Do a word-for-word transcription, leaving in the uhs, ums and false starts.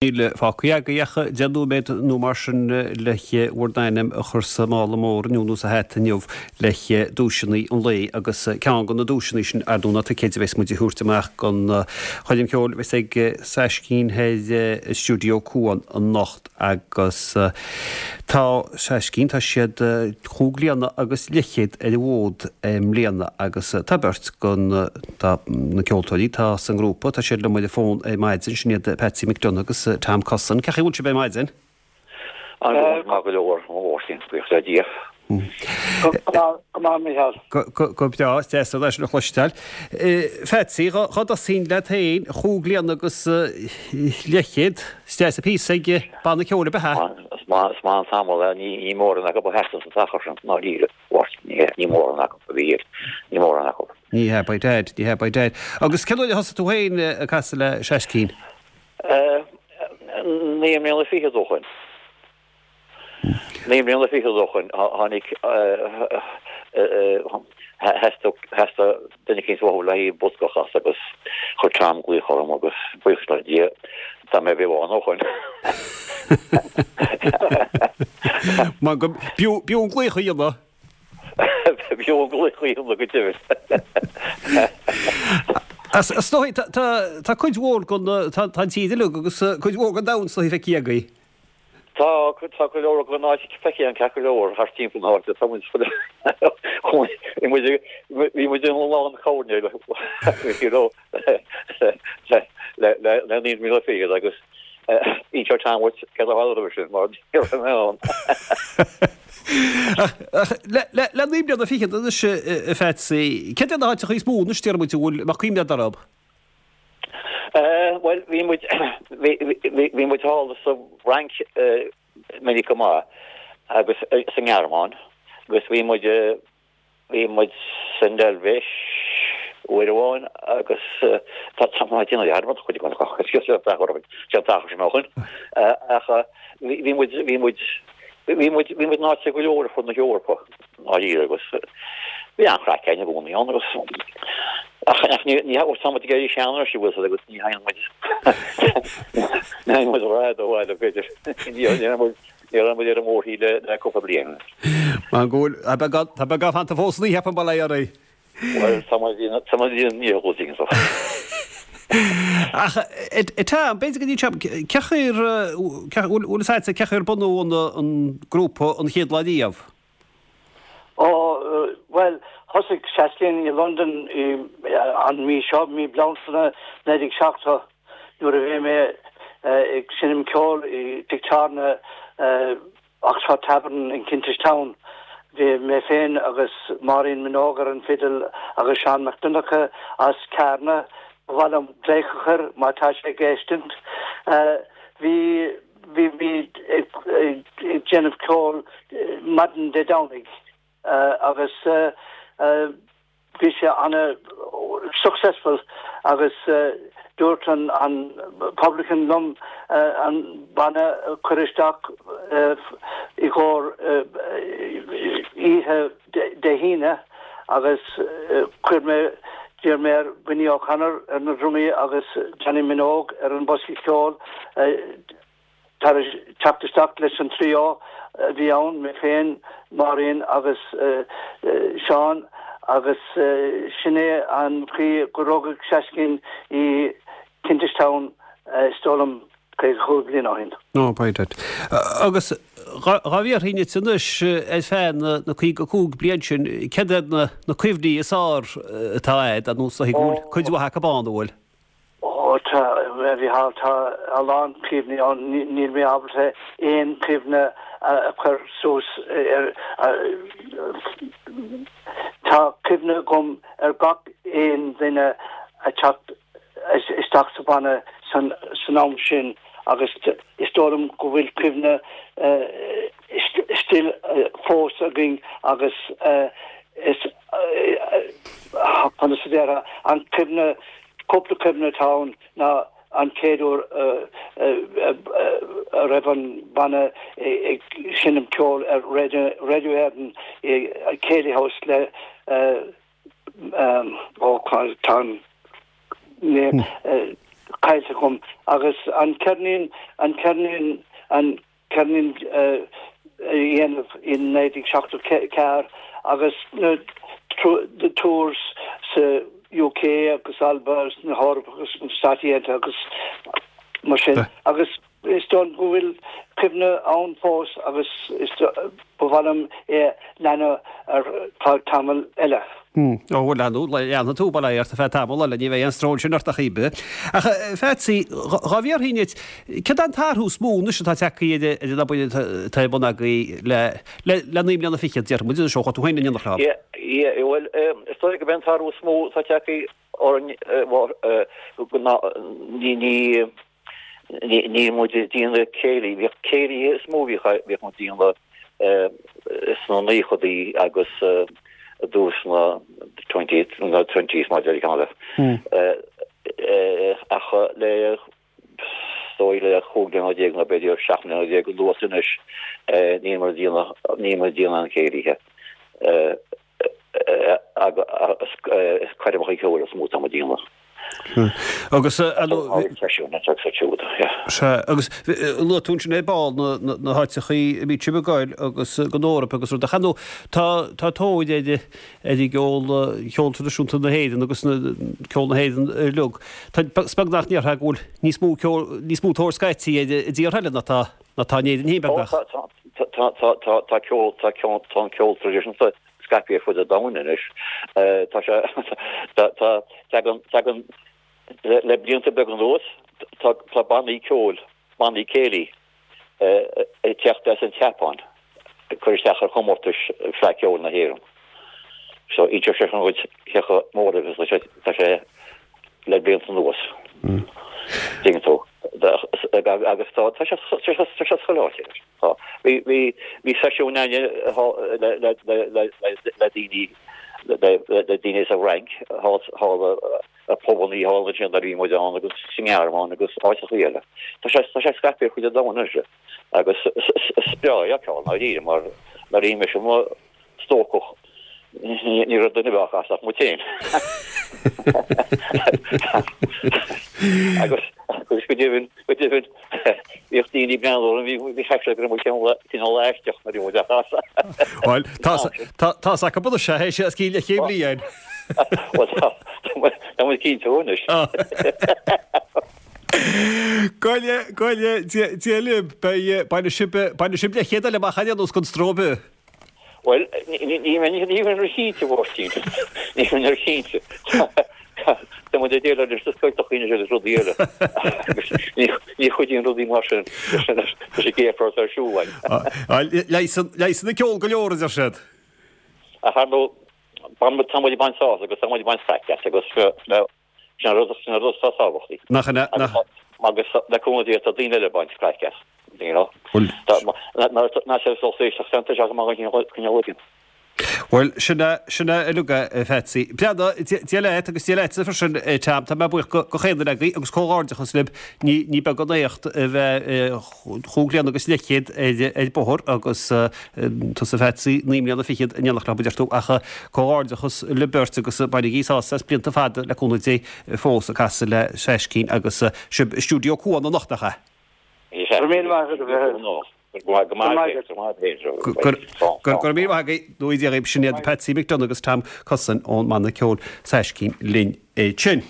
Níl fágtha agaibh ach deich nóiméad nó mar sin le bhur n-ainm a chur sa mála mór inniu nó sa hata inniu le duaiseanna an lae agus ceann de na duaiseanna sin ar ndóigh ná ticéid a bheas muid a thabhairt amach don choirm cheoil a bheas ag Seaiscín thoir i Stiúideo Cuan anocht agus tá Seaiscín, tá siad chúig bliana agus leathchéad ar an bhfód i mbliana agus tá beirt den tá na ceoltóirí atá sa ngrúpa, tá siad liom ar an bhfón ar maidin, sin iad Patsy McDonagh agus Tom Cussen. Cén chaoi a bhfuil sibh ar maidin? An-mhaith go leor, a Mháirtín, buíochas le Dia. Go maith, Micheál. Go breá, is deas é sin a chloisteáil. Phatsy, dhá dtosóinn leat féin, chúig bliana agus leathchéad, is deas an píosa ag banna ceoil ab ea? Is maith an tamall é, ní mórán acu a sheasann san t-achar sin, i ndáiríre, a Mháirtín, ní mórán acu a bhí, ní mórán acu. Ní hea, by dad, ní hea, by dad. Agus cén uair a thosaigh tú féin ag casadh le Seaiscín? Naoi mbliana fichead ó shoin. Naoi mbliana fichead ó shoin tháinig theastaigh duine eicínt uathu le haghaidh bosca a chasadh agus chuir Tom glaoch orm agus buíochas le Dia tá mé beo ann ó shoin. Mar go b'fhiú an glaoch a dhéanamh. B'fhiú an glaoch a dhéanamh go deimhin. Is dóigh, tá cuid mhór den, tá an tír uilig agus cuid mhór den domhan is dóigh feicthe agaibh. Tá, tá go leor den áit feicthe againn ceart go leor thart timpeall na háite, tá muid, bhí muid, bhí muid in lán coirnéil you know le le le naoi mbliana fichead agus inseoidh Tom duit céard a tharla roimhe sin mar ní raibh mé ann. Ach le le naoi mbliana fichead anois a Phatsy, céard iad na háiteacha is mó anois déarfaidh muid a bhfuil mbeadh cuimhne agat orthu? Bhuel bhí muid bhí muid thall sa bhFrainc minic go maith agus sa nGearmáin agus bhí muid Bhí muid san Eilvéis uair amháin agus tá tá mé ag déanamh dearmad chuid den sé an t-achar sin ó shin ach bhí muid bhí muid bhí muid bhí muid in áiteacha go leor ar fud na hEorpa ndáiríre agus bhí an-chraic againn i gcónaí ann agus ach ach ní ní tá muid ag éirí sean anois an bhfuil a fhios agat agus ní théann muid ní théann muid ró-fhada ó bhaile b'fhéidir ní ní muid Ní raibh muid ar an mórthír le cúpla bliain. Mar go bhfuil, tá beagán, tá beagán fanta fós san oíche, bail ó Dhia oraibh. Bhuel, tá muid, tá muid i ndiaidh dhul dtí an Ach, tá, b'fhéidir go dtí seo, cén chaoi ar, bhfuil a fhios agatsa cén chaoi ar bunaíodh an, an grúpa an chéad lá riamh? Ó, bhuel, thosaigh Seaiscín i Londain an mí seo, mí Bealtaine naoi déag seachtó. Nuair a bhí mé ag seinm ceoil i dtigh tábhairne Oxford Tavern in Kentish Town, bhí mé féin agus Máirín Minogue ar an bhfidil agus Seán Mac Donncha as Carna, ba mhaith liom glaoch a chur má tá sé ag éisteacht. Bhí bhí muid ag déanamh ceoil maidin Dé Domhnaigh agus Bhí sé ana successful agus dúirt an an publican liom an banna a chur isteach i gcomhair oíche Dé hAoine agus chuir mé d'iarr mé ar Winnie O'Connor ar na drumaí agus Johnny Minogue ar an bosca ceoil Tar éis teacht isteach leis an trio a bhí ann, mé féin, Máirín agus Seán, agus sin é an chaoi gur rugadh Seaiscín i Kentish Town, is dóigh liom, caoga chúig bliain ó shin. Ó, by dad. Agus dhá bhfiafraínn díot anois, ar feadh na caoga cúig bliain sin, céard iad na cuimhní is fearr atá agat, ar ndóigh is dóigh go bhfuil cuid mhaith acu ann, an bhfuil? Ó tá, a Mhícheáil, tá a lán cuimhní ann, níl mé ábalta aon chuimhne a chur suas ar, tá cuimhne agam ar gach aon duine a teacht isteach sa bhanna san am sin agus is dóigh liom go bhfuil cuimhne still fós againn agus is, conas a déarfá, an cuimhne Cúpla cuimhne atá ann ná an chéad uair a raibh an banna ag seinm ceoil ar Radio Éireann i Céilí House le ó tá an caillte agam agus an ceirnín an ceirnín an ceirnín a dhéanamh in naoi déag seachtó ceathair agus na the tours sa UK agus Alba agus na hEorpa agus na Stáit Aontaithe agus mar sin agus is dóigh go bhfuil cuimhne ann fós agus is ba mhaith liom é leanadh ar feadh tamall eile. Ó bhuel leanadh, leanfaidh tú bail ó Dhia ort ar feadh tamall eile, ní bheidh aon stró ansin ort a Chaoimhe. Ach a Phatsy, dhá bhfiafraínn díot, céard é an t-athrú is mó anois atá tagtha ar an obair atá ar bun agaibh le le le naoi mbliana fichead, déarfaidh muid, anois ó chuaigh tú féin in éineacht leo? Yeah, yeah, bhuel, is dóigh gurb é an t-athrú is mó atá tagtha orainn ná ní ní Níl muid ag déanamh céilí, bhíodh céilithe is mó bhíodh bhíodh muid ag déanamh sna naochadaí agus i dtús na twenty na twenties mar a deir ceann eile. Ach le is dóigh le chúig bliana déag nó b'fhéidir seacht mbliana déag anuas anois níl muid ag déanamh níl muid ag déanamh aon chéilithe agus is coirmeacha ceoil is mó atá muid ag déanamh. Agus agus luaigh tú ansin ar ball na háiteachaí a mbíonn sibh ag goil agus don Eoraip agus rud ach ar ndóigh tá tá tóir ar ar an gceol ceol traidisiúnta na hÉireann agus ceol na hÉireann uilig. Tá is beag nach ndéarfá go bhfuil níos mó ceol níos mó tóir scaití ar i dtíortha eile ná tá ná tá in Éirinn féin beagnach. Tá tá tá tá tá ceol tá ceol tá an ceol traidisiúnta scaipthe ar fud an domhain anois. Tá sé tá tá tagann tagann le blianta beaga anuas tá tá bannaí ceoil, bannaí céilí ag teacht as an tSeapáin ag cur isteach ar chomórtais Fleadh Cheoil na hÉireann. So inseoidh sé sin dhuit cé chomh mór agus tá sé tá sé le blianta anuas. Tuigeann tú. Agus tá tá sé tá sé tá sé chuile áit. Tá. Bhí bhí bhí seisiún againne le le le le le daoine le le daoine sa Fhrainc thall thall ar phubannaí thall ansin nuair a bhí muid ann agus sa nGearmáin agus áiteachaí eile. Tá sé tá sé scaipthe ar fud an domhain anois agus is breá é a fheiceáil ndáiríre mar nuair a bhí mise i mo stócach ní raibh duine ar bith á chasadh ach muid féin. Agus agus go deimhin go deimhin bhíodh daoine ag breathnú orainn bhí bhí cheap siad go raibh muid cineál cineál aisteach nuair a bhí muid á chasadh. Bhuel tá tá tá's acu anois é sé os cionn leathchéad bliain. Bhuel tá tá muid cinnte anois. Go go Dia libh beidh bainfidh sibh bainfidh sibh leathchéad eile amach ar aon nós gan stró ar bith. Bhuel, ní bheinn róchinnte, a Mháirtín. Ní bheinn róchinnte. Tá muid ag déileáil leis na scoilteachaí anois agus rudaí eile. Ní chuidíonn rudaí mar sin leis an gcéapar atá ar siúl againn. Leigheasann an ceol go leor, a deir siad. Ach ar ndóigh, tá muid ag baint sásamh agus tá muid ag baint craic as agus Sin an rud, sin an rud atá tábhachtach. Nach ea, nach. Agus le cúnamh Dé tá daoine eile ag baint craic as, you know. Bhuel. Ná sé lucht éisteachta tá sé go maith an cineál éigin. Bhuel, sin é, sin é uilig é, a Phatsy. Breathnaigh, Dia leat agus Dia leatsa freisin, a Tom. Tá mé buíoch go, go chaon duine agaibh agus comhghairdeachas libh. Ní, ní beag an éacht a bheith chúig bliana agus leathchéad ar, ar bóthar agus tusa a Phatsy, naoi mbliana fichead in éineacht leo, a deir tú, ach comhghairdeachas libh beirt agus bainigí sásamh as blianta fada le cúnamh Dé fós ag casadh le Saiscín agus sibh i stiúideo Cuan anocht, nach ea? Go raibh míle maith agat a Mhichíl. Go raibh maith Go raibh míle maith agaibh, go dté Dia dhaoibh, sin iad Patsy McDonagh agus Tom Cussen ón mbanna ceoil Saiscín linn ansin.